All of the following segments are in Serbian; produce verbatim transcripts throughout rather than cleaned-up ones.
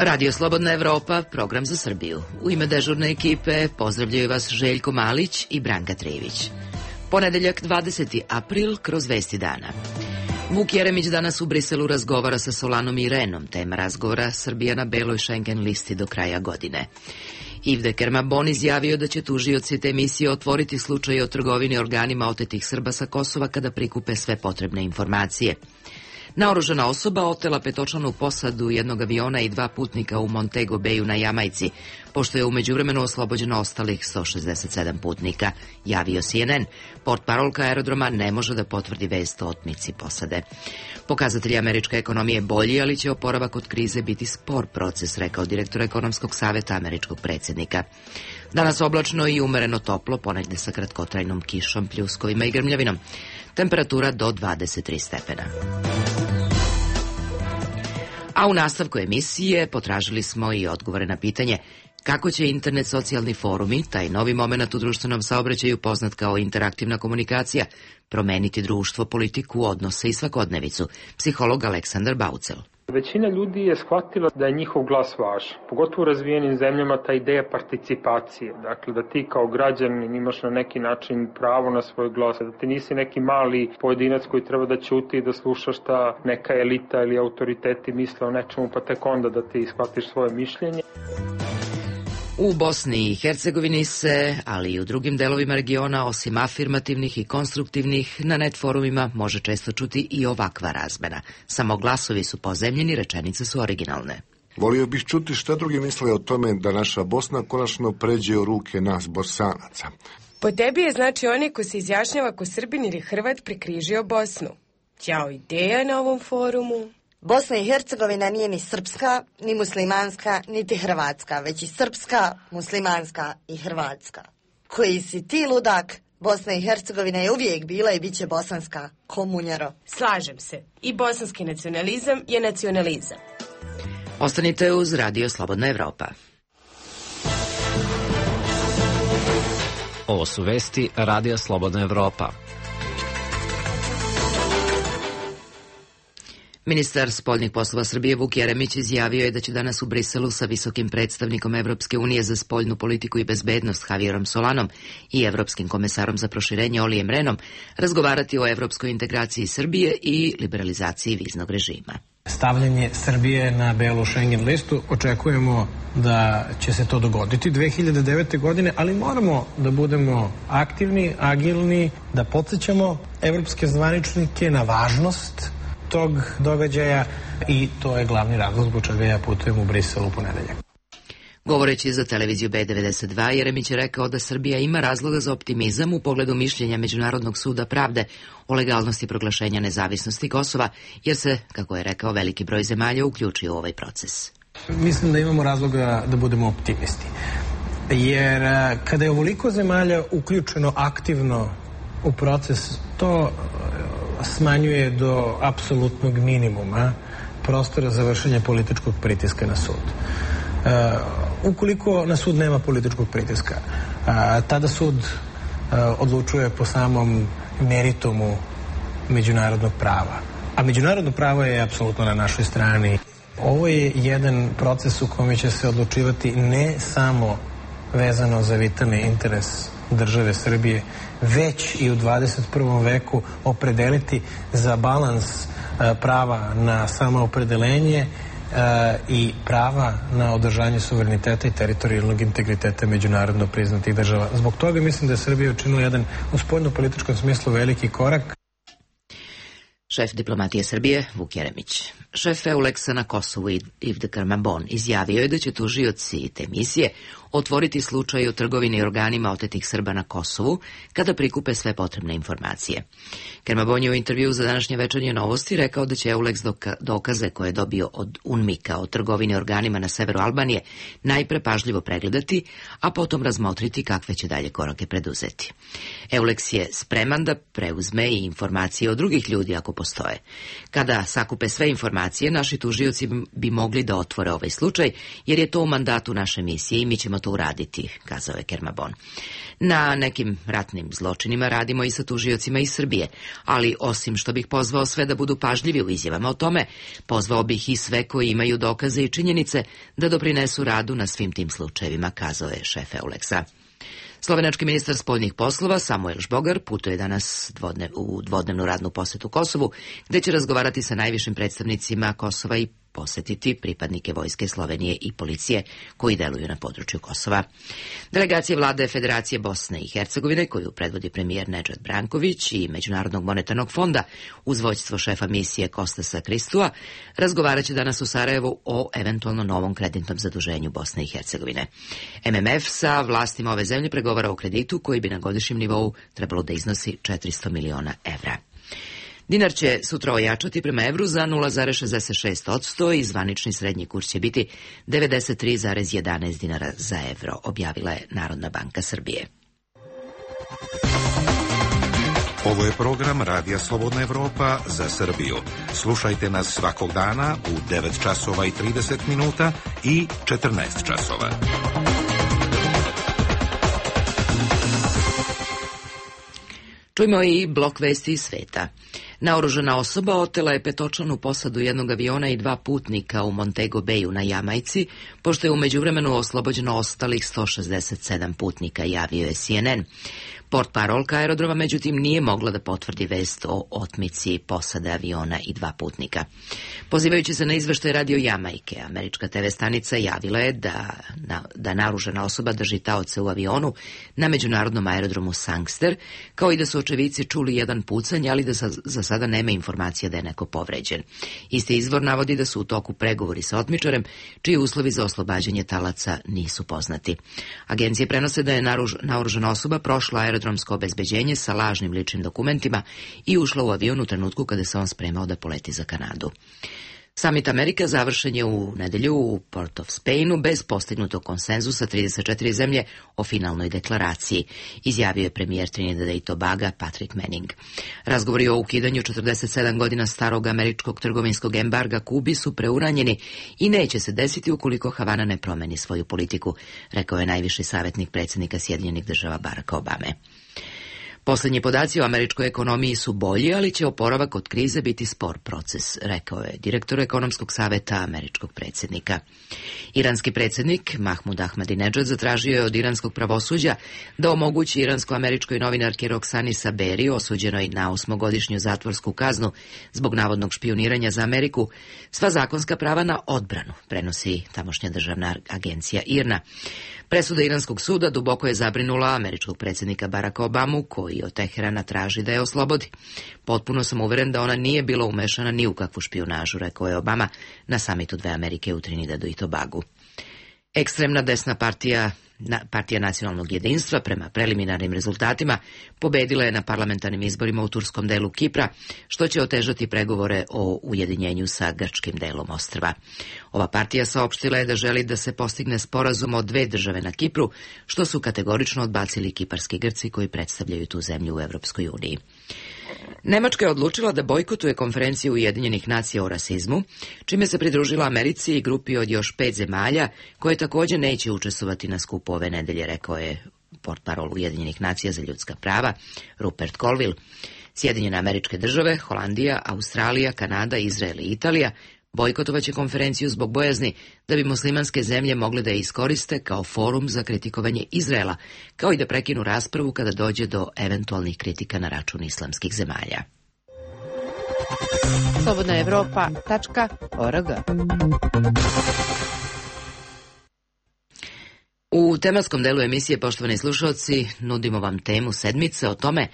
Radio Slobodna Evropa, program za Srbiju. U ime dežurne ekipe pozdravljaju vas Željko Malić i Branka Trijević. Ponedeljak dvadeseti april kroz vesti dana. Vuk Jeremić danas u Briselu razgovara sa Solanom i Renom. Tema razgovora: Srbija na beloj Schengen listi do kraja godine. Yves de Kermabon izjavio da će tužioci te emisije otvoriti slučaj o trgovini organima otetih Srba sa Kosova kada prikupe sve potrebne informacije. Naoružana osoba otela petočlanu posadu jednog aviona i dva putnika u Montego Bayu na Jamajci, pošto je u međuvremenu oslobođeno ostalih sto šezdeset sedam putnika, javio C N N. Portparolka aerodroma ne može da potvrdi vest o otmici posade. Pokazatelji američke ekonomije bolji, ali će oporavak od krize biti spor proces, rekao direktor ekonomskog saveta američkog predsjednika. Danas oblačno i umereno toplo, ponegde sa kratkotrajnom kišom, pljuskovima i grmljavinom. Temperatura do dvadeset tri stepena. A u nastavku emisije potražili smo i odgovore na pitanje kako će internet socijalni forumi, taj novi moment u društvenom saobraćaju poznat kao interaktivna komunikacija, promeniti društvo, politiku, odnose i svakodnevicu. Psiholog Aleksandar Baucel. Većina ljudi je shvatila da je njihov glas važan, pogotovo u razvijenim zemljama ta ideja participacije, dakle da ti kao građanin imaš na neki način pravo na svoj glas, da ti nisi neki mali pojedinac koji treba da ćuti i da sluša šta neka elita ili autoriteti misle o nečemu, pa tek onda da ti shvatiš svoje mišljenje. U Bosni i Hercegovini se, ali i u drugim delovima regiona, osim afirmativnih i konstruktivnih, na net forumima može često čuti i ovakva razmena. Samo glasovi su pozemljeni, rečenice su originalne. Volio bih čuti šta drugi misle o tome da naša Bosna konačno pređe u ruke nas Bosanaca. Po tebi je znači onaj ko se izjašnjava ko Srbin ili Hrvat prekrižio Bosnu. Ćao ideja na ovom forumu. Bosna i Hercegovina nije ni srpska, ni muslimanska, niti hrvatska, već i srpska, muslimanska i hrvatska. Koji si ti, ludak? Bosna i Hercegovina je uvijek bila i bit će bosanska, komunjaro. Slažem se. I bosanski nacionalizam je nacionalizam. Ostanite uz Radio Slobodna Evropa. Ovo su vesti Radio Slobodna Evropa. Ministar spoljnih poslova Srbije Vuk Jeremić izjavio je da će danas u Briselu sa visokim predstavnikom Evropske unije za spoljnu politiku i bezbednost Javierom Solanom i evropskim komesarom za proširenje Olijem Renom razgovarati o evropskoj integraciji Srbije i liberalizaciji viznog režima. Stavljanje Srbije na belu Schengen listu, očekujemo da će se to dogoditi dve hiljade devete. godine, ali moramo da budemo aktivni, agilni, da podsjećamo evropske zvaničnike na važnost tog događaja i to je glavni razlog zbog čega ja putujem u Brisel u ponedeljak. Govoreći za televiziju B devedeset dva, Jeremić je rekao da Srbija ima razloga za optimizam u pogledu mišljenja Međunarodnog suda pravde o legalnosti proglašenja nezavisnosti Kosova, jer se, kako je rekao, veliki broj zemalja uključio u ovaj proces. Mislim da imamo razloga da budemo optimisti, jer kada je ovoliko zemalja uključeno aktivno u proces, to smanjuje do apsolutnog minimuma prostora za vršenje političkog pritiska na sud. E, ukoliko na sud nema političkog pritiska, a, tada sud a, odlučuje po samom meritumu međunarodnog prava. A međunarodno pravo je apsolutno na našoj strani. Ovo je jedan proces u kome će se odlučivati ne samo vezano za vitalni interes države Srbije, već i u dvadeset prvom veku opredeliti za balans prava na samoopredelenje i prava na održanje suvereniteta i teritorijalnog integriteta međunarodno priznatih država. Zbog toga mislim da je Srbija učinila jedan u spoljno-političkom smislu veliki korak. Šef diplomatije Srbije Vuk Jeremić. Šef Euleksa na Kosovu Yves de Kermabon izjavio je da će tužioci te misije otvoriti slučaj o trgovini organima otetih Srba na Kosovu kada prikupe sve potrebne informacije. Kermabon je u intervju za današnje večernje novosti rekao da će Euleks dokaze koje je dobio od UNMIK-a o trgovini organima na severu Albanije najpre pažljivo pregledati, a potom razmotriti kakve će dalje korake preduzeti. Euleks je spreman da preuzme i informacije od drugih ljudi ako postoje. Kada sakupe sve informacije, naši tužioci bi mogli da otvore ovaj slučaj, jer je to u mandatu naše misije i mi ćemo potrebno to uraditi, kazao je Kermabon. Na nekim ratnim zločinima radimo i sa tužiocima iz Srbije, ali osim što bih pozvao sve da budu pažljivi u izjavama o tome, pozvao bih i sve koji imaju dokaze i činjenice da doprinesu radu na svim tim slučajevima, kazao je šef Euleksa. Slovenački ministar spoljnih poslova Samuel Žbogar putuje danas dvodne, u dvodnevnu radnu posetu Kosovu, gde će razgovarati sa najvišim predstavnicima Kosova i posetiti pripadnike vojske Slovenije i policije koji deluju na području Kosova. Delegacija vlade Federacije Bosne i Hercegovine, koju predvodi premijer Nedžad Branković i Međunarodnog monetarnog fonda uz vođstvo šefa misije Kostasa Kristua, razgovarat će danas u Sarajevu o eventualno novom kreditnom zaduženju Bosne i Hercegovine. M M F sa vlastima ove zemlje pregovara o kreditu koji bi na godišnjem nivou trebalo da iznosi četiristo miliona evra. Dinar će sutra ojačati prema evru za nula zarez šezdeset šest posto i zvanični srednji kurs će biti devedeset tri zarez jedanaest dinara za evro, objavila je Narodna banka Srbije. Ovo je program Radija Slobodna Evropa za Srbiju. Slušajte nas svakog dana u devet časova i trideset minuta i četrnaest časova. Čujmo i blok vesti iz sveta. Naoružana osoba otela je petočlanu posadu jednog aviona i dva putnika u Montego Bayu na Jamajci, pošto je u međuvremenu oslobođeno ostalih sto šezdeset sedam putnika, javio je C N N. Portparolka aerodroma međutim nije mogla da potvrdi vest o otmici posade aviona i dva putnika. Pozivajući se na izveštaj Radio Jamajke, američka te ve stanica javila je da, na, da naoružana osoba drži taoce u avionu na međunarodnom aerodromu Sangster, kao i da su očevici čuli jedan pucanj, ali da sa, za sada nema informacija da je neko povređen. Isti izvor navodi da su u toku pregovori sa otmičarem, čiji uslovi za oslobađanje talaca nisu poznati. Agencije prenose da je naruž, naoružana osoba prošla aerodromsko obezbeđenje sa lažnim ličnim dokumentima i ušla u avion u trenutku kada se on spremao da poleti za Kanadu. Samit Amerika završen je u nedelju u Port of Spainu bez postignutog konsenzusa trideset četiri zemlje o finalnoj deklaraciji, izjavio je premijer Trinidada i Tobaga Patrick Manning. Razgovori o ukidanju četrdeset sedam godina starog američkog trgovinskog embarga Kubi su preuranjeni i neće se desiti ukoliko Havana ne promeni svoju politiku, rekao je najviši savjetnik predsjednika Sjedinjenih država Baracka Obame. Poslednji podaci o američkoj ekonomiji su bolji, ali će oporavak od krize biti spor proces, rekao je direktor ekonomskog saveta američkog predsjednika. Iranski predsjednik Mahmud Ahmadinedžad zatražio je od iranskog pravosuđa da omogući iransko-američkoj novinarki Roksani Saberi, osuđenoj na osmogodišnju zatvorsku kaznu zbog navodnog špijuniranja za Ameriku, sva zakonska prava na odbranu, prenosi tamošnja državna agencija I R N A. Presuda iranskog suda duboko je zabrinula američkog predsjednika Baracka Obamu, koji od Teherana traži da je oslobodi. Potpuno sam uveren da ona nije bila umešana ni u kakvu špijunažu, rekao je Obama na samitu dve Amerike u Trinidadu i Tobagu. Ekstremna desna partija, na, partija nacionalnog jedinstva, prema preliminarnim rezultatima, pobedila je na parlamentarnim izborima u turskom delu Kipra, što će otežati pregovore o ujedinjenju sa grčkim delom ostrva. Ova partija saopštila je da želi da se postigne sporazum o dve države na Kipru, što su kategorično odbacili kiparski Grci koji predstavljaju tu zemlju u Evropskoj uniji. Nemačka je odlučila da bojkotuje konferenciju Ujedinjenih nacija o rasizmu, čime se pridružila Americi i grupi od još pet zemalja, koje također neće učestvovati na skupu ove nedelje, rekao je portparol Ujedinjenih nacija za ljudska prava Rupert Colville. Sjedinjene Američke države, Holandija, Australija, Kanada, Izrael i Italija bojkotovaće konferenciju zbog bojazni da bi muslimanske zemlje mogle da je iskoriste kao forum za kritikovanje Izraela, kao i da prekinu raspravu kada dođe do eventualnih kritika na račun islamskih zemalja. slobodna evropa tačka org. U tematskom delu emisije, poštovani slušalci, nudimo vam temu sedmice o tome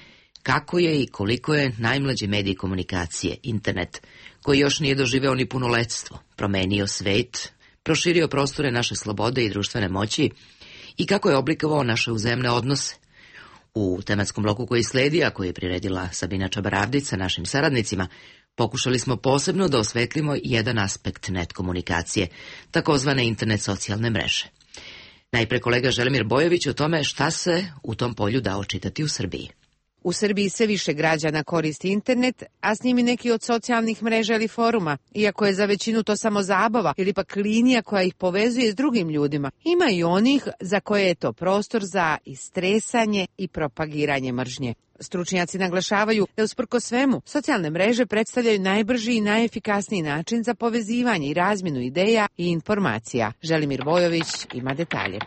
kako je i koliko je najmlađi medij komunikacije, internet, koji još nije doživeo ni punoletstvo, promenio svet, proširio prostore naše slobode i društvene moći i kako je oblikovao naše uzajamne odnose. U tematskom bloku koji sledi, a koji je priredila Sabina Čabaravdić sa našim saradnicima, pokušali smo posebno da osvetlimo jedan aspekt net komunikacije, takozvane internet socijalne mreže. Najpre kolega Želimir Bojović o tome šta se u tom polju da očitati u Srbiji. U Srbiji sve više građana koristi internet, a s njim i neki od socijalnih mreža ili foruma. Iako je za većinu to samo zabava ili pak linija koja ih povezuje s drugim ljudima, ima i onih za koje je to prostor za istresanje i propagiranje mržnje. Stručnjaci naglašavaju da usprkos svemu, socijalne mreže predstavljaju najbrži i najefikasniji način za povezivanje i razmjenu ideja i informacija. Želimir Vojović ima detalje.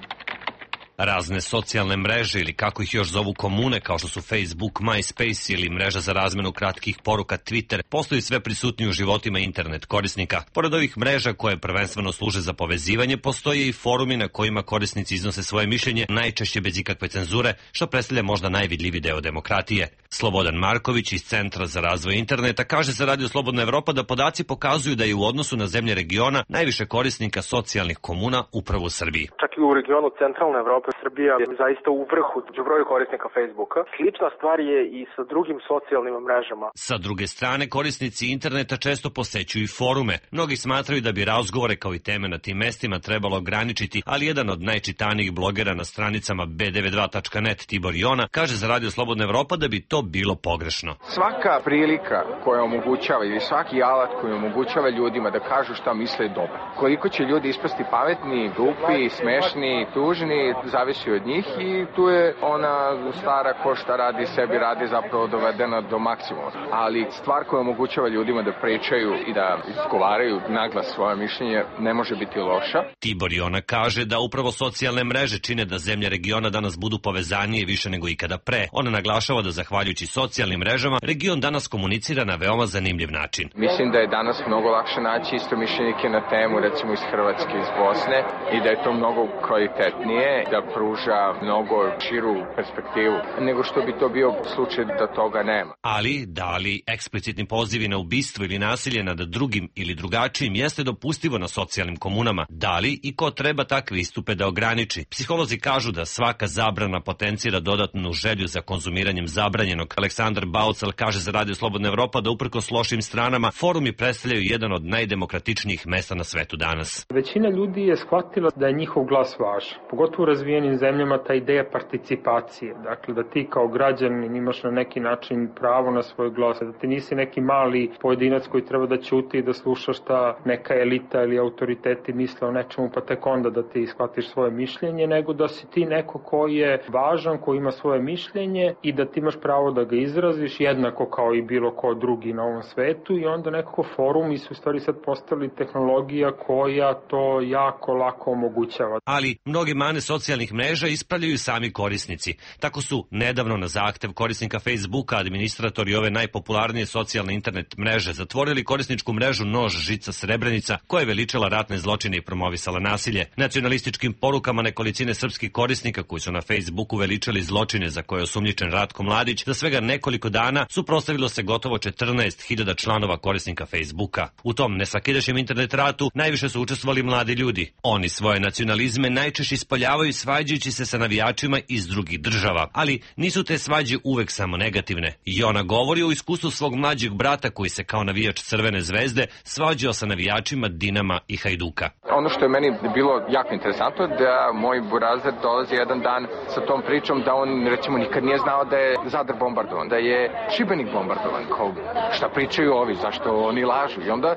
Razne socijalne mreže ili kako ih još zovu komune kao što su Facebook, MySpace ili mreža za razmenu kratkih poruka Twitter postaju sve prisutniji u životima internet korisnika. Pored ovih mreža koje prvenstveno služe za povezivanje, postoje i forumi na kojima korisnici iznose svoje mišljenje, najčešće bez ikakve cenzure, što predstavlja možda najvidljiviji deo demokratije. Slobodan Marković iz Centra za razvoj interneta kaže za Radio Slobodna Evropa da podaci pokazuju da je u odnosu na zemlje regiona najviše korisnika socijalnih komuna upravo u Srbiji. Čak i u regionu centralne Evrope Srbija je zaista u vrhu u broju korisnika Facebooka. Slična stvar je i sa drugim socijalnim mrežama. Sa druge strane, korisnici interneta često posećuju i forume. Mnogi smatraju da bi razgovore kao i teme na tim mestima trebalo ograničiti, ali jedan od najčitanijih blogera na stranicama be devedeset dva tačka net Tibor Jona kaže za Radio Slobodna Evropa da bi to bilo pogrešno. Svaka prilika koja omogućava ili svaki alat koji omogućava ljudima da kažu šta misle je dobar. Koliko će ljudi ispasti pametni, glupi, smešni, tužni, zavisi od njih i tu je ona stara ko šta radi sebi radi zapravo dovedena do maksimuma. Ali stvar koja omogućava ljudima da pričaju i da izgovaraju naglas svoje mišljenje ne može biti loša. Tibor Jona kaže da upravo socijalne mreže čine da zemlje regiona danas budu povezanije više nego ikada pre. Ona naglašava da zahvaljujući socijalnim mrežama region danas komunicira na veoma zanimljiv način. Mislim da je danas mnogo lakše naći istomišljenike na temu recimo iz Hrvatske, iz Bosne i da je to mnogo kvalitetnije, da pruža mnogo širu perspektivu nego što bi to bio slučaj da toga nema. Ali, da li eksplicitni pozivi na ubistvo ili nasilje nad drugim ili drugačijim jeste dopustivo na socijalnim komunama? Da li i ko treba takve istupe da ograniči? Psiholozi kažu da svaka zabrana potencira dodatnu želju za konzumiranjem zabranjenog. Aleksandar Baucal kaže za Radio Slobodna Evropa da uprkos lošim stranama forumi predstavljaju jedan od najdemokratičnijih mesta na svetu danas. Većina ljudi je shvatila da je njihov glas važan, pogotovo u razvijenim zemljama ta ideja participacije, dakle da ti kao građanin imaš na neki način pravo na svoj glas, da ti nisi neki mali pojedinac koji treba da ćuti i da sluša šta neka elita ili autoriteti misle o nečemu pa tek onda da ti shvatiš svoje mišljenje, nego da si ti neko koji je važan, koji ima svoje mišljenje i da ti imaš pravo da ga izraziš jednako kao i bilo ko drugi na ovom svetu i onda nekako forumi su u stvari sad postali tehnologija koja to jako lako omogućava. Ali mnoge mane socijalnih mreža ispravljaju sami korisnici. Tako su nedavno na zahtev korisnika Facebooka administratori ove najpopularnije socijalne internet mreže zatvorili korisničku mrežu Nož žica Srebrenica koja je veličala ratne zločine i promovisala nasilje. Nacionalističkim porukama nekolicine srpskih korisnika koji su na Facebooku veličali zločine za koje je osumnjičen Ratko Mladić, za svega nekoliko dana suprotstavilo se gotovo četrnaest hiljada članova korisnika Facebooka. U tom nesvakidašnjem internet ratu najviše su učestvovali mladi ljudi. Oni svoje nacionalizme najčešće ispoljavaju svađajući se sa navijačima iz drugih država, ali nisu te svađe uvek samo negativne. I ona govori o iskustvu svog mlađeg brata koji se kao navijač Crvene zvezde svađao sa navijačima Dinama i Hajduka. Ono što je meni bilo jako interesantno je da moj burazer dolazi jedan dan sa tom pričom da on recimo nikad nije znao da je Zadar bombardovan, da je Šibenik bombardovan. Kao, šta pričaju ovi, zašto oni lažu? I onda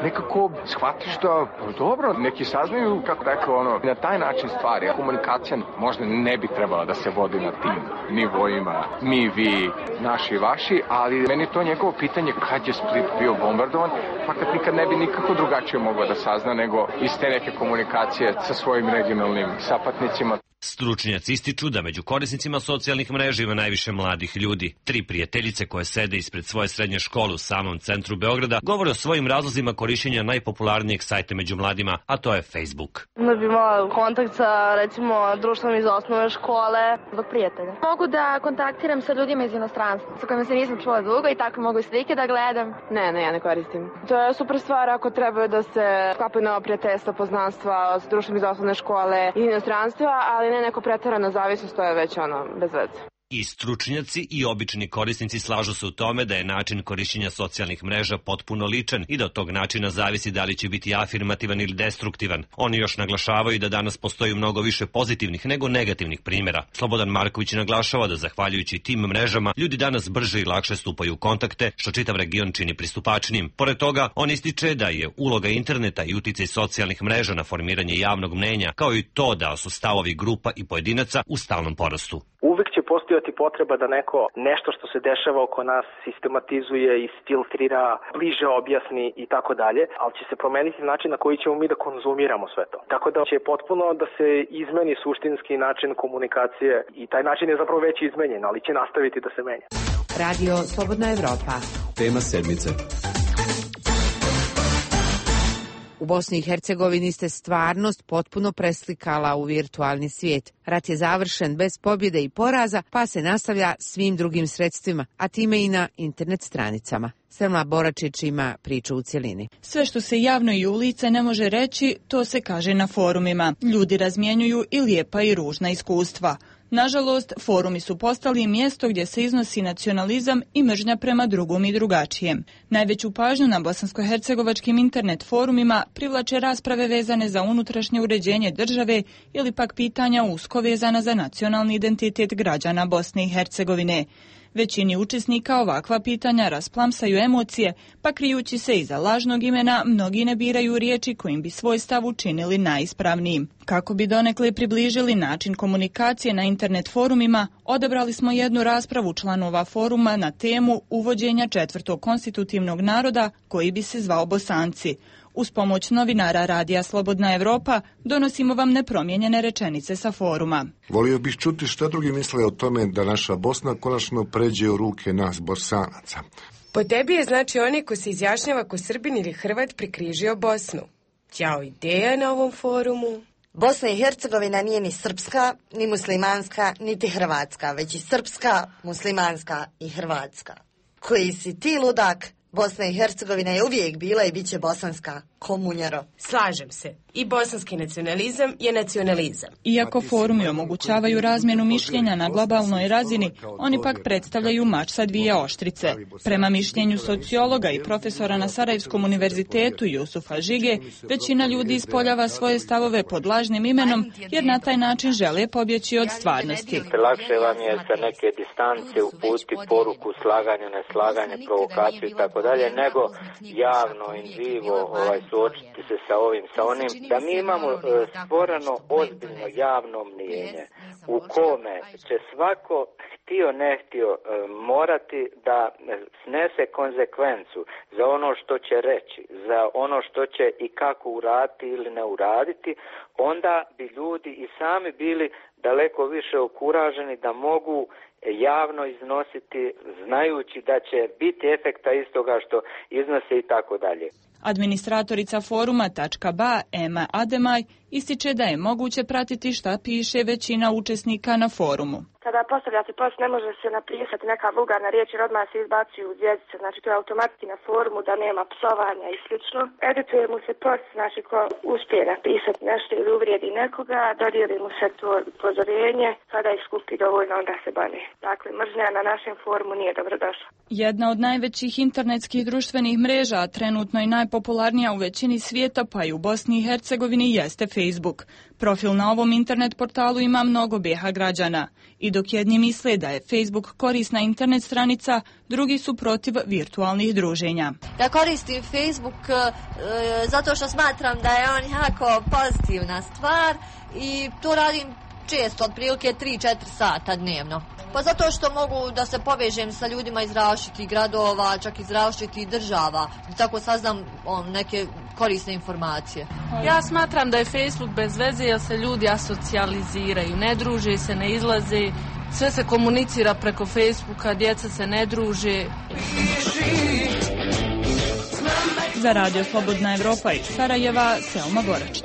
nekako shvatiš da dobro, neki saznaju, kako rekao, ono, na taj način stvari. Komunikacija možda ne bi trebala da se vodi na tim nivoima, mi, vi, naši, vaši, ali meni to njegovo pitanje kad je Split bio bombardovan, pa kad nikad ne bi nikako drugačije mogao da sazna nego iz te neke komunikacije sa svojim regionalnim sapatnicima. Stručnjaci ističu da među korisnicima socijalnih mreža ima najviše mladih ljudi. Tri prijateljice koje sede ispred svoje srednje škole u samom centru Beograda govore o svojim razlozima korišćenja najpopularnijeg sajta među mladima, a to je Facebook. Da bi imala kontakt sa, recimo, društvom iz osnovne škole, zbog prijatelja. Mogu da kontaktiram sa ljudima iz inostranstva, sa kojima se nisam čula dugo i tako mogu i slike da gledam. Ne, ne, ja ne koristim. To je super stvar ako trebaju da se sklapaju nova prijateljstva, poznanstva s društvom iz osnovne škole i inostranstva, ali ne neko preterana zavisnost, to je već ono, bez veze. I stručnjaci i obični korisnici slažu se u tome da je način korišćenja socijalnih mreža potpuno ličan i da od tog načina zavisi da li će biti afirmativan ili destruktivan. Oni još naglašavaju da danas postoji mnogo više pozitivnih nego negativnih primjera. Slobodan Marković naglašava da zahvaljujući tim mrežama ljudi danas brže i lakše stupaju u kontakte, što čitav region čini pristupačnijim. Pored toga, on ističe da je uloga interneta i uticaj socijalnih mreža na formiranje javnog mnenja, kao i to da su stavovi grupa i pojedinaca u stalnom porastu. Uvijek će postojati potreba da neko nešto što se dešava oko nas sistematizuje, isfiltrira, bliže objasni i tako dalje, ali će se promeniti način na koji ćemo mi da konzumiramo sve to. Tako da će potpuno da se izmeni suštinski način komunikacije i taj način je zapravo već izmenjen, ali će nastaviti da se menja. Radio Slobodna Evropa. Tema sedmice. U Bosni i Hercegovini ste stvarnost potpuno preslikala u virtualni svijet. Rat je završen bez pobjede i poraza, pa se nastavlja svim drugim sredstvima, a time i na internet stranicama. Selma Boračić ima priču u cjelini. Sve što se javno i u lice ne može reći, to se kaže na forumima. Ljudi razmjenjuju i lijepa i ružna iskustva. Nažalost, forumi su postali mjesto gdje se iznosi nacionalizam i mržnja prema drugom i drugačijem. Najveću pažnju na bosansko-hercegovačkim internet forumima privlače rasprave vezane za unutrašnje uređenje države ili pak pitanja usko vezana za nacionalni identitet građana Bosne i Hercegovine. Većini učesnika ovakva pitanja rasplamsaju emocije, pa krijući se iza lažnog imena, mnogi ne biraju riječi kojim bi svoj stav učinili najispravnijim. Kako bi donekle približili način komunikacije na internet forumima, odabrali smo jednu raspravu članova foruma na temu uvođenja četvrtog konstitutivnog naroda koji bi se zvao Bosanci. Uz pomoć novinara Radija Slobodna Evropa donosimo vam nepromijenjene rečenice sa foruma. Volio bih čuti šta drugi misle o tome da naša Bosna konačno pređe u ruke nas Bosanaca. Po tebi je znači onaj ko se izjašnjava ko Srbin ili Hrvat prekrižio Bosnu. Ćao ideja na ovom forumu. Bosna i Hercegovina nije ni srpska, ni muslimanska, niti hrvatska, već i srpska, muslimanska i hrvatska. Koji si ti ludak? Bosna i Hercegovina je uvijek bila i bit će bosanska, komunjaro. Slažem se. I bosanski nacionalizam je nacionalizam. Iako forumi omogućavaju razmjenu mišljenja na globalnoj razini, oni pak predstavljaju mač sa dvije oštrice. Prema mišljenju sociologa i profesora na Sarajevskom univerzitetu Jusufa Žige, većina ljudi ispoljava svoje stavove pod lažnim imenom, jer na taj način žele pobjeći od stvarnosti. Lakše vam je sa neke distance uputi poruku, slaganje, neslaganje, provokaciju i tako dalje, nego javno, in vivo, ovaj, suočiti se sa ovim, sa onim. Da mi imamo e, stvoreno ozbiljno javno mnijenje u kome će svako htio ne htio e, morati da snese konzekvencu za ono što će reći, za ono što će i kako uraditi ili ne uraditi, onda bi ljudi i sami bili daleko više okuraženi da mogu javno iznositi znajući da će biti efekta istoga što iznose i tako dalje. Administratorica foruma .ba Ema Ademaj ističe da je moguće pratiti šta piše većina učesnika na forumu. Kada postavljate post ne može se napisati neka vulgarna riječ jer odmah se izbacuju zvjezdice, znači to je automatski na forumu da nema psovanja i slično. Edituje mu se post, znači ko uspije napisati nešto ili uvrijedi nekoga, dodijeli mu se to upozorenje, kada ih skupi dovoljno onda se bane. Dakle, mržnja na našem forumu nije dobrodošla. Jedna od najvećih internetskih društvenih mreža, a trenutno i najpopularnija u većini svijeta, pa i u Bosni i Hercegovini, jeste Facebook. Profil na ovom internet portalu ima mnogo bijeha građana. I dok jedni misle da je Facebook korisna internet stranica, drugi su protiv virtualnih druženja. Ja koristim Facebook e, zato što smatram da je on jako pozitivna stvar i to radim često, otprilike tri do četiri sata dnevno. Pa zato što mogu da se povežem sa ljudima iz različitih gradova, čak iz različitih država, da tako saznam on, neke korisne informacije. Ja smatram da je Facebook bez veze jer se ljudi asocijaliziraju, ne druže se, ne izlaze, sve se komunicira preko Facebooka, djeca se ne druže. Za Radio Slobodna Evropa iz Sarajeva, Selma Boračić.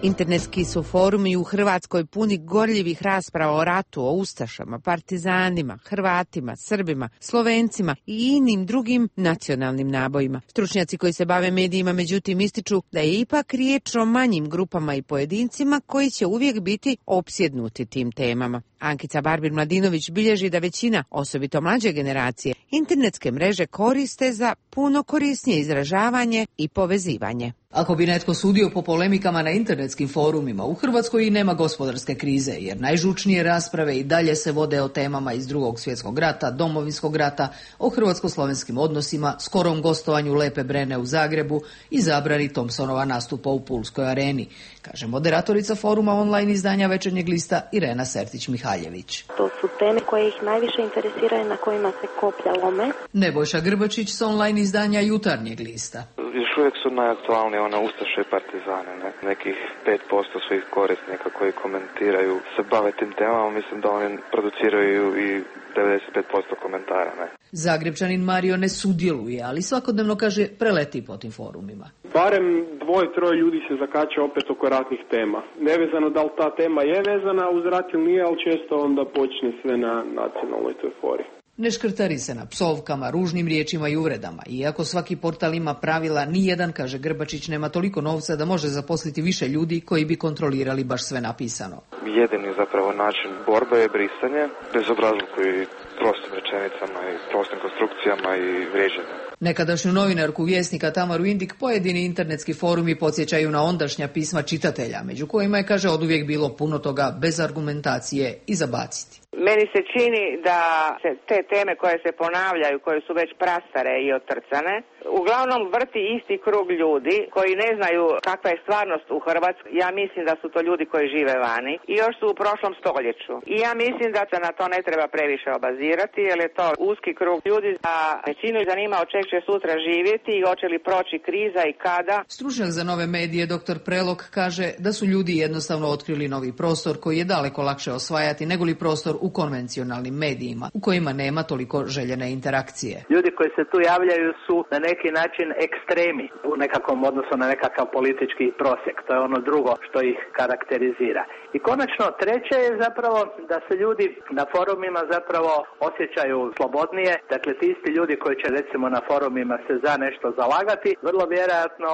Internetski su forumi u Hrvatskoj puni gorljivih rasprava o ratu, o ustašama, partizanima, Hrvatima, Srbima, Slovencima i inim drugim nacionalnim nabojima. Stručnjaci koji se bave medijima međutim ističu da je ipak riječ o manjim grupama i pojedincima koji će uvijek biti opsjednuti tim temama. Ankica Barbir-Mladinović bilježi da većina, osobito mlađe generacije, internetske mreže koriste za puno korisnije izražavanje i povezivanje. Ako bi netko sudio po polemikama na internetskim forumima, u Hrvatskoj i nema gospodarske krize, jer najžučnije rasprave i dalje se vode o temama iz Drugog svjetskog rata, Domovinskog rata, o hrvatsko-slovenskim odnosima, skorom gostovanju Lepe Brene u Zagrebu i zabrani Thompsonova nastupa u Pulskoj areni, kaže moderatorica foruma online izdanja Večernjeg lista Irena Sertić-Mihaljević. To su teme koje ih najviše interesiraju, na kojima se koplja lome. Nebojša Grbačić s online izdanja Jutarnjeg lista. Još uvijek su najaktualnije ona ustaše i partizane, ne? Nekih pet posto svih korisnika koji komentiraju se bave tim temama, mislim da oni produciraju i devedeset pet posto komentara, ne? Zagrebčanin Mario ne sudjeluje, ali svakodnevno, kaže, preleti po tim forumima. Barem dvoje, troje ljudi se zakače opet oko ratnih tema. Nevezano da li ta tema je vezana uz rat ili nije, ali često onda počne sve na nacionalnoj toj fori. Ne škrtari se na psovkama, ružnim riječima i uvredama. Iako svaki portal ima pravila, nijedan, kaže Grbačić, nema toliko novca da može zaposliti više ljudi koji bi kontrolirali baš sve napisano. Jedini zapravo način borbe je brisanje, bezobrazluku i prostim rečenicama i prostim konstrukcijama i vrijeđanjem. Nekadašnju novinarku Vjesnika Tamaru Indik pojedini internetski forumi podsjećaju na ondašnja pisma čitatelja, među kojima je, kaže, oduvijek bilo puno toga bez argumentacije i zabaciti. Meni se čini da se te teme koje se ponavljaju, koje su već prastare i otrcane, uglavnom vrti isti krug ljudi koji ne znaju kakva je stvarnost u Hrvatskoj. Ja mislim da su to ljudi koji žive vani i još su u prošlom stoljeću. I ja mislim da se na to ne treba previše obazirati, jer je to uski krug ljudi, a većinu zanima od čeg će sutra živjeti i hoće li proći kriza i kada. Stručnjak za nove medije doktor Prelog kaže da su ljudi jednostavno otkrili novi prostor koji je daleko lakše osvajati nego li prostor u konvencionalnim medijima, u kojima nema toliko željene interakcije. Ljudi koji se tu javljaju su na neki način ekstremi u nekakvom odnosu na nekakav politički prosjek. To je ono drugo što ih karakterizira. I konačno treće je zapravo da se ljudi na forumima zapravo osjećaju slobodnije. Dakle, ti isti ljudi koji će recimo na forumima se za nešto zalagati, vrlo vjerojatno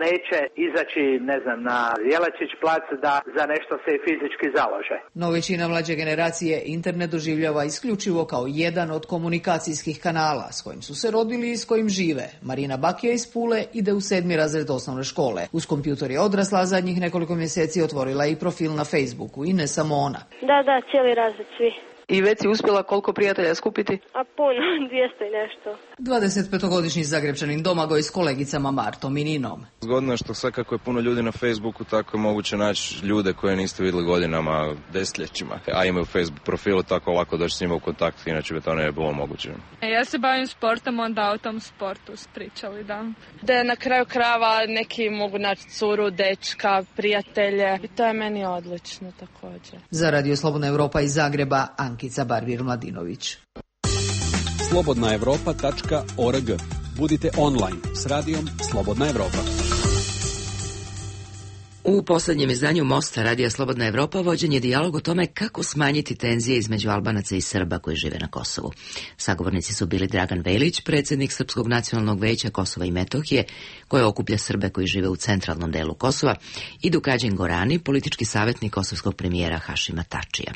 neće izaći, ne znam, na Jelačić plac da za nešto se i fizički založe. No većina mlađe generacije internet doživljava isključivo kao jedan od komunikacijskih kanala s kojim su se rodili i s kojim žive. Marina Bakija iz Pule ide u sedmi razred osnovne škole. Uz kompjuter je odrasla, zadnjih nekoliko mjeseci otvorila i profil na Facebooku i ne samo ona. Da, da, cijeli razred svi. I već si uspjela koliko prijatelja skupiti? A puno, dvjesto i nešto. dvadesetpetogodišnji Zagrebčanin Domagoj s kolegicama Martom i Ninom. Zgodno je što sad kako je puno ljudi na Facebooku, tako je moguće naći ljude koje niste vidjeli godinama, desetljećima. A imaju Facebook profilu, tako lako doći s njima u kontakt, inače bi to ne bilo moguće. E, ja se bavim sportom, onda o tom sportu pričali, da. Da na kraju krava neki mogu naći curu, dečka, prijatelje. I to je meni odlično također. Za Radio Slobodna Evropa iz Zagreba, Ankica Barbir-Mladinović. slobodna evropa tačka org. Budite online s radijom Slobodna Evropa. U posljednjem izdanju Mosta Radija Slobodna Evropa vođen je dijalog o tome kako smanjiti tenzije između Albanaca i Srba koji žive na Kosovu. Sagovornici su bili Dragan Velić, predsjednik Srpskog nacionalnog veća Kosova i Metohije, koje okuplja Srbe koji žive u centralnom delu Kosova, i Dukađin Gorani, politički savjetnik kosovskog premijera Hašima Tačija.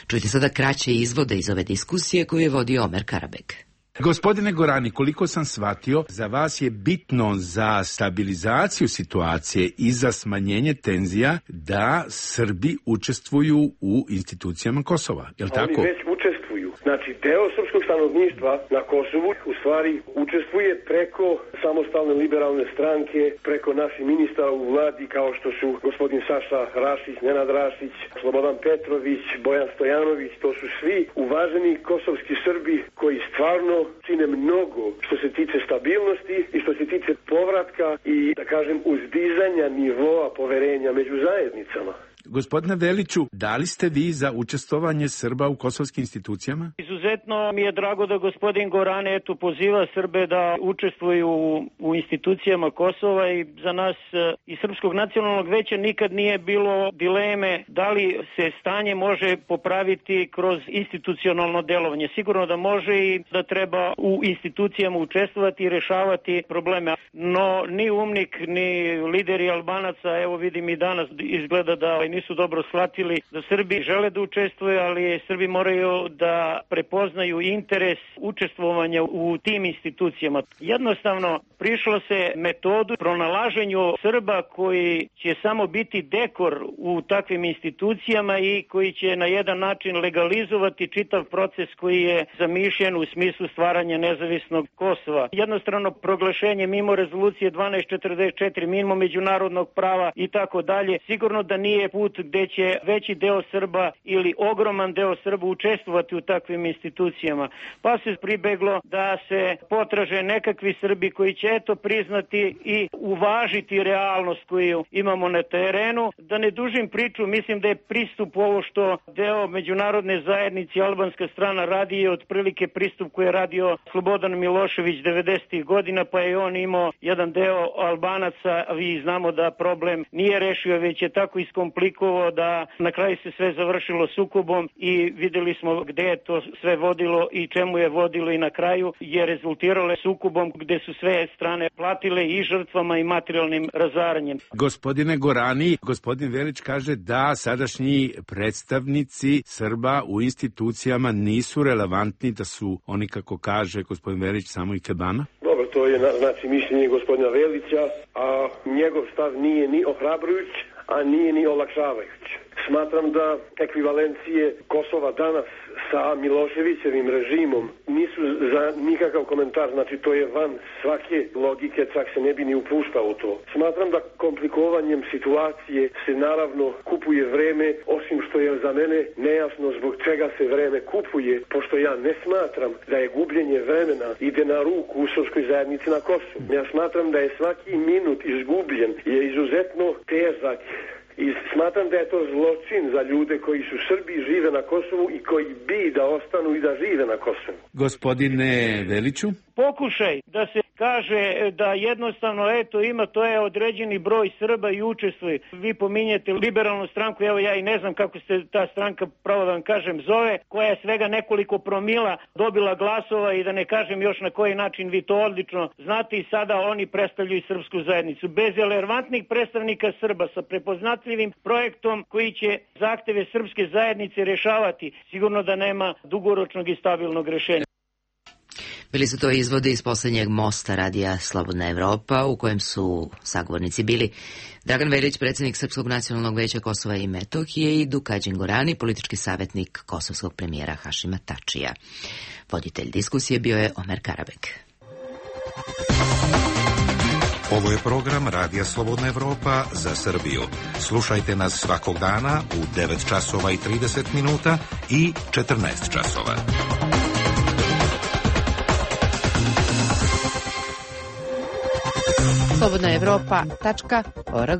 Čujte sada kraće izvode iz ove diskusije koju je vodio Omer Karabek. Gospodine Gorani, koliko sam shvatio, za vas je bitno za stabilizaciju situacije i za smanjenje tenzija da Srbi učestvuju u institucijama Kosova, je li tako? Oni već učestvuju. Znači, deo srpskog stanovništva na Kosovu u stvari učestvuje preko samostalne liberalne stranke, preko naših ministara u vladi kao što su gospodin Saša Rašić, Nenad Rašić, Slobodan Petrović, Bojan Stojanović. To su svi uvaženi kosovski Srbi koji stvarno čine mnogo što se tiče stabilnosti i što se tiče povratka i, da kažem, uzdizanja nivoa poverenja među zajednicama. Gospodine Veliću, da li ste vi za učestvovanje Srba u kosovskim institucijama? Izuzetno mi je drago da gospodin Gorane eto poziva Srbe da učestvuju u, u institucijama Kosova i za nas iz Srpskog nacionalnog veća nikad nije bilo dileme da li se stanje može popraviti kroz institucionalno delovanje. Sigurno da može i da treba u institucijama učestvovati i rešavati probleme. No ni UMNIK, ni lideri Albanaca, evo vidim i danas izgleda da nisu dobro shvatili da Srbi žele da učestvuju, ali Srbi moraju da prepoznaju interes učestvovanja u tim institucijama. Jednostavno prišlo se metodu pronalaženju Srba koji će samo biti dekor u takvim institucijama i koji će na jedan način legalizovati čitav proces koji je zamišljen u smislu stvaranja nezavisnog Kosova. Jednostavno proglašenje mimo rezolucije dvanaest četrdeset četiri, mimo međunarodnog prava i tako dalje, sigurno da nije put gde će veći deo Srba ili ogroman deo Srba učestvovati u takvim institucijama. Pa se pribeglo da se potraže nekakvi Srbi koji će eto priznati i uvažiti realnost koju imamo na terenu. Da ne dužim priču, mislim da je pristup ovo što deo međunarodne zajednice albanska strana radi je otprilike pristup koji je radio Slobodan Milošević devedesetih godina, pa je on imao jedan deo Albanaca, a vi znamo da problem nije rešio, već je tako iskomplikovao da na kraju se sve završilo sukobom i videli smo gde je to sve vodilo i čemu je vodilo i na kraju je rezultiralo sukobom gde su sve strane platile i žrtvama i materijalnim razaranjem. Gospodine Gorani, gospodin Velić kaže da sadašnji predstavnici Srba u institucijama nisu relevantni, da su oni, kako kaže gospodin Velić, samo i kebana? Dobro, to je znači mišljenje gospodina Velića, a njegov stav nije ni ohrabrujuć, a nije ni olakšavajuć. Smatram da ekvivalencije Kosova danas sa Miloševićevim režimom nisu za nikakav komentar, znači to je van svake logike, čak se ne bi ni upuštao u to. Smatram da komplikovanjem situacije se naravno kupuje vreme, osim što je za mene nejasno zbog čega se vreme kupuje, pošto ja ne smatram da je gubljenje vremena ide na ruku u srpskoj zajednici na Kosovu. Ja smatram da je svaki minut izgubljen, je izuzetno težak. I smatram da je to zločin za ljude koji su Srbi, žive na Kosovu i koji bi da ostanu i da žive na Kosovu. Gospodine Veliću? Pokušaj da se kaže da jednostavno eto ima to je određeni broj Srba i učestvuje. Vi pominjete liberalnu stranku, evo ja i ne znam kako se ta stranka, pravo da vam kažem, zove, koja je svega nekoliko promila dobila glasova i da ne kažem još na koji način vi to odlično znate i sada oni predstavljaju srpsku zajednicu. Bez relevantnih predstavnika Srba sa prepoznatljivim projektom koji će zahteve srpske zajednice rešavati, sigurno da nema dugoročnog i stabilnog rešenja. Bili su to izvodi iz poslednjeg mosta radija Slobodna Evropa, u kojem su sagovornici bili Dragan Velić, predsjednik Srpskog nacionalnog veća Kosova i Metohije, i Dukađin Gorani, politički savjetnik kosovskog premijera Hašima Tačija. Voditelj diskusije bio je Omer Karabek. Ovo je program Radija Slobodna Evropa za Srbiju. Slušajte nas svakog dana u devet časova i trideset minuta i četrnaest časova. slobodna evropa tačka org.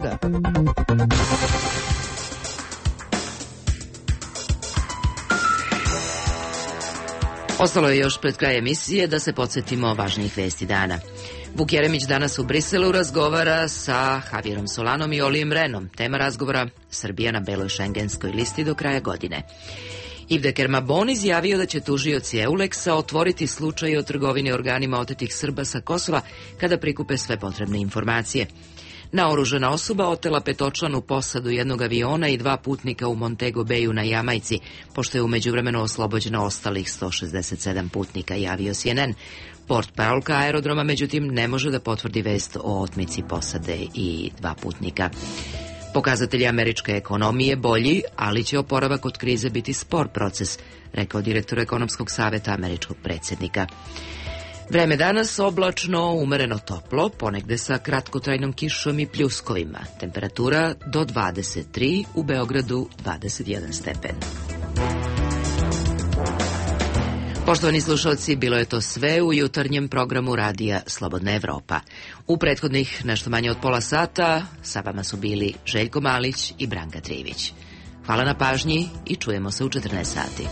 Ostalo je još pred kraj emisije da se podsjetimo važnijih vesti dana. Vuk Jeremić danas u Briselu razgovara sa Javierom Solanom i Olijem Renom. Tema razgovora: Srbija na beloj šengenskoj listi do kraja godine. Ivde Kermabon izjavio da će tužioci Euleksa otvoriti slučaj o trgovini organima otetih Srba sa Kosova kada prikupe sve potrebne informacije. Naoružana osoba otela petočlanu posadu jednog aviona i dva putnika u Montego Bayu na Jamajci, pošto je umeđu vremenu oslobođeno ostalih sto šezdeset sedam putnika, javio C N N. Portparolka aerodroma, međutim, ne može da potvrdi vest o otmici posade i dva putnika. Pokazatelji američke ekonomije bolji, ali će oporavak od krize biti spor proces, rekao direktor ekonomskog saveta američkog predsjednika. Vreme danas oblačno, umereno toplo, ponegde sa kratkotrajnom kišom i pljuskovima. Temperatura do dvadeset tri, u Beogradu dvadeset jedan stepen. Poštovani slušalci, bilo je to sve u jutarnjem programu radija Slobodna Evropa. U prethodnih nešto manje od pola sata sa vama su bili Željko Malić i Branka Trivić. Hvala na pažnji i čujemo se u četrnaest sati.